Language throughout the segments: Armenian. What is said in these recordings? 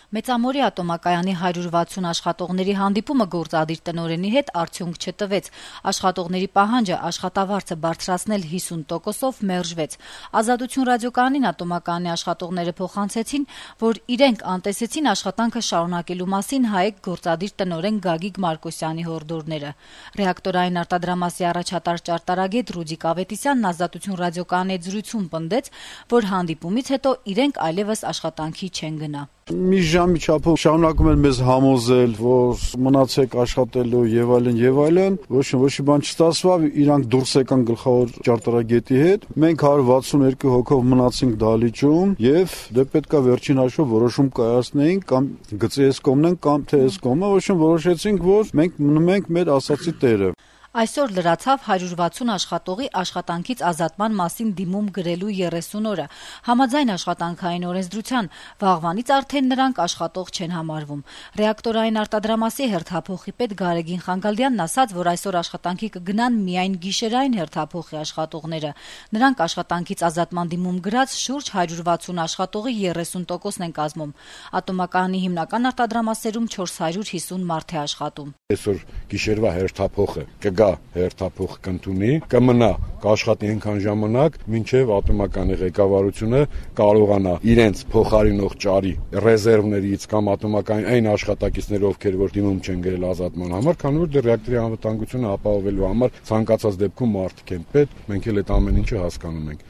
Մեծամորի ատոմակայանի 160 աշխատողների հանդիպումը գործադիր տնօրենի հետ արդյունք չտվեց։ Աշխատողների պահանջը աշխատավարձը բարձրացնել 50%-ով մերժվեց։ Ազատություն ռադիոկայանին ատոմակայանի աշխատողները փոխանցեցին, որ իրենք անտեսեցին աշխատանքը շարունակելու մասին ՀԱԵԿ գործադիր տնօրեն Գագիկ Մարկոսյանի հորդորները։ Ռեակտորային արտադրամասի առաջատար ճարտարագետ Ռուդիկ Ավետիսյանն Ազատություն ռադիոկայանի հետ զրույցում պնդեց, որ հանդիպումից հետո իրենք այլևս աշխատանքի չեն գնա։ Մի ժամի չափով շարունակում են մեզ համոզել, որ մնացեք աշխատելու եւ այլն, ոչ բան չստացվավ, իրանք դուրս եկան գլխավոր ճարտարագետի հետ։ Մենք 162 հոգով մնացինք դահլիճում եւ դե պետքա վերջին հաշվով որոշում կայացնեինք կամ գծի այս կողմն են կամ թե այս կողմը, որոշեցինք, որ մենք մնում ենք մեր ասացի տերը։ Այսօր լրացավ 160 աշխատողի աշխատանքից ազատման մասին դիմում գրելու 30 օրը։ Համաձայն աշխատանքային օրենսդրության վաղվանից արդեն նրանք աշխատող չեն համարվում։ Ռեակտորային արտադրամասի հերթափոխի պետ Գարեգին Խանգալդյանն ասաց, որ այսօր աշխատանքի կգնան միայն գիշերային հերթափոխի աշխատողները։ Նրանք աշխատանքից ազատման դիմում գրած շուրջ 160 աշխատողի 30%-ն են կազմում։ Ատոմակայանի հիմնական արտադրամասերում 450 մարդ է աշխատում։ Այսօր գիշերվա հերթափոխը կգա հերթափոխ կընդունի, կմնա, կաշխատի այնքան ժամանակ, մինչև ատոմակայանի ղեկավարությունը կարողանա իրենց փոխարինող ճարի ռեզերվներից կամ ատոմակայանի այն աշխատակիցները, ովքեր որ դիմում չեն գրել ազատման համար, քանի որ դեռ ռեակտորի անվտանգությունը ապահովելու համար ցանկացած դեպքում մարդիկ են պետք, մենք էլ այդ ամեն ինչը հասկանում ենք։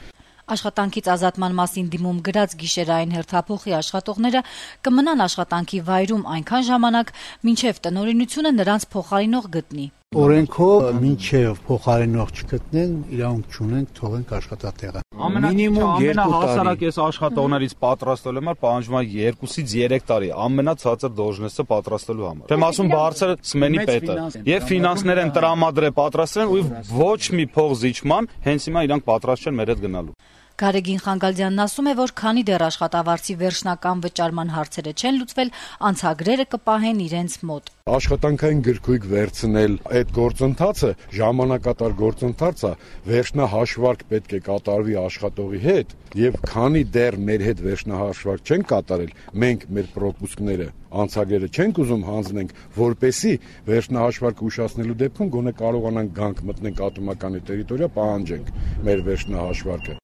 Աշխատանքից ազատման մասին դիմում գրած գիշերային հերթափոխի աշխատողները կմնան աշխատանքի վայրում այնքան ժամանակ, մինչև տնօրինությունը նրանց փոխարինող գտնի։ Օրենքով մինչև փոխարինող չգտնեն, իրավունք չունենք թողենք աշխատատեղը։ Մինիմում 2 տարի ես աշխատողներից պատրաստելու համար պահանջվում է 2-ից 3 տարի ամենացածր դոժնեսը պատրաստելու համար։ Դեմ ասում բարձր սմենի պետը եւ ֆինանսներ են տրամադրել պատրաստեն ու ոչ մի փող զիջման, հենց հիմա իրանք պատրաստ չեն մեր հետ գնալու։ Գարեգին Խանգալդյանն ասում է, որ քանի դեռ աշխատավարձի վերջնական վճարման հարցերը չեն լուծվել, անցագրերը կպահեն իրենց մոտ։ Աշխատանքային գրքույկ վերցնել այդ գործընթացը ժամանակատար գործընթաց է, վերջնահաշվարկ պետք է կատարվի աշխատողի հետ եւ քանի դեռ մեր հետ վերջնահաշվարկ չեն կատարել, մենք մեր պրոպուսկները անցագրերը չենք ուզում հանձնենք, որպեսի վերջնահաշվարկը ուշացնելու դեպքում գոնե կարողանանք գանք մտնենք ատոմականի տերիտորիա, պահանջենք մեր վերջնահաշվարկը։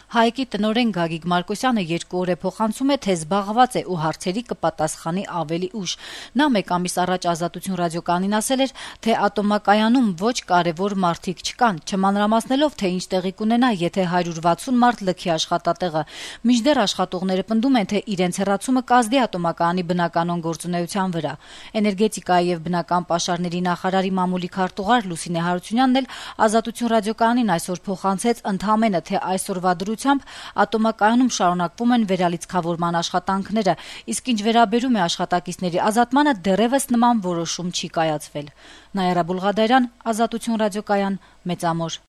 ՀԱԵԿ-ի տնօրեն Գագիկ Մարկոսյանը 2 օր է փոխանցում է, թե զբաղված է ու հարցերի կպատասխանի ավելի ուշ։ Նա 1 ամիս առաջ Ազատություն ռադիոկայանին ասել էր, թե ատոմակայանում ոչ կարևոր մարդիկ չկան, չմանրամասնելով, թե ինչ տեղի կունենա, եթե 160 մարդ լքի աշխատատեղը։ Մինչդեռ աշխատողները պնդում են, թե իրենց հեռացումը կազդի ատոմակայանի բնականոն գործունեության վրա։ Էներգետիկայի եւ բնական պաշարների նախարարի մամուլի քարտուղար Լուսինե Հարությունյանն էլ Ազատություն ռադիոկայանին այսօր փոխանցեց ընդհանրապես, թե այսօրվա դրությամբ ատոմակայանում շարունակվում են վերալիցքավորման աշխատանքները, իսկ ինչ վերաբերում է աշխատակիցների ազատմանը, դեռևս նման որոշում չի կայացվել։ Նայարա Բուլղադարյան, Ազատություն ռադիոկայան, Մեծամոր։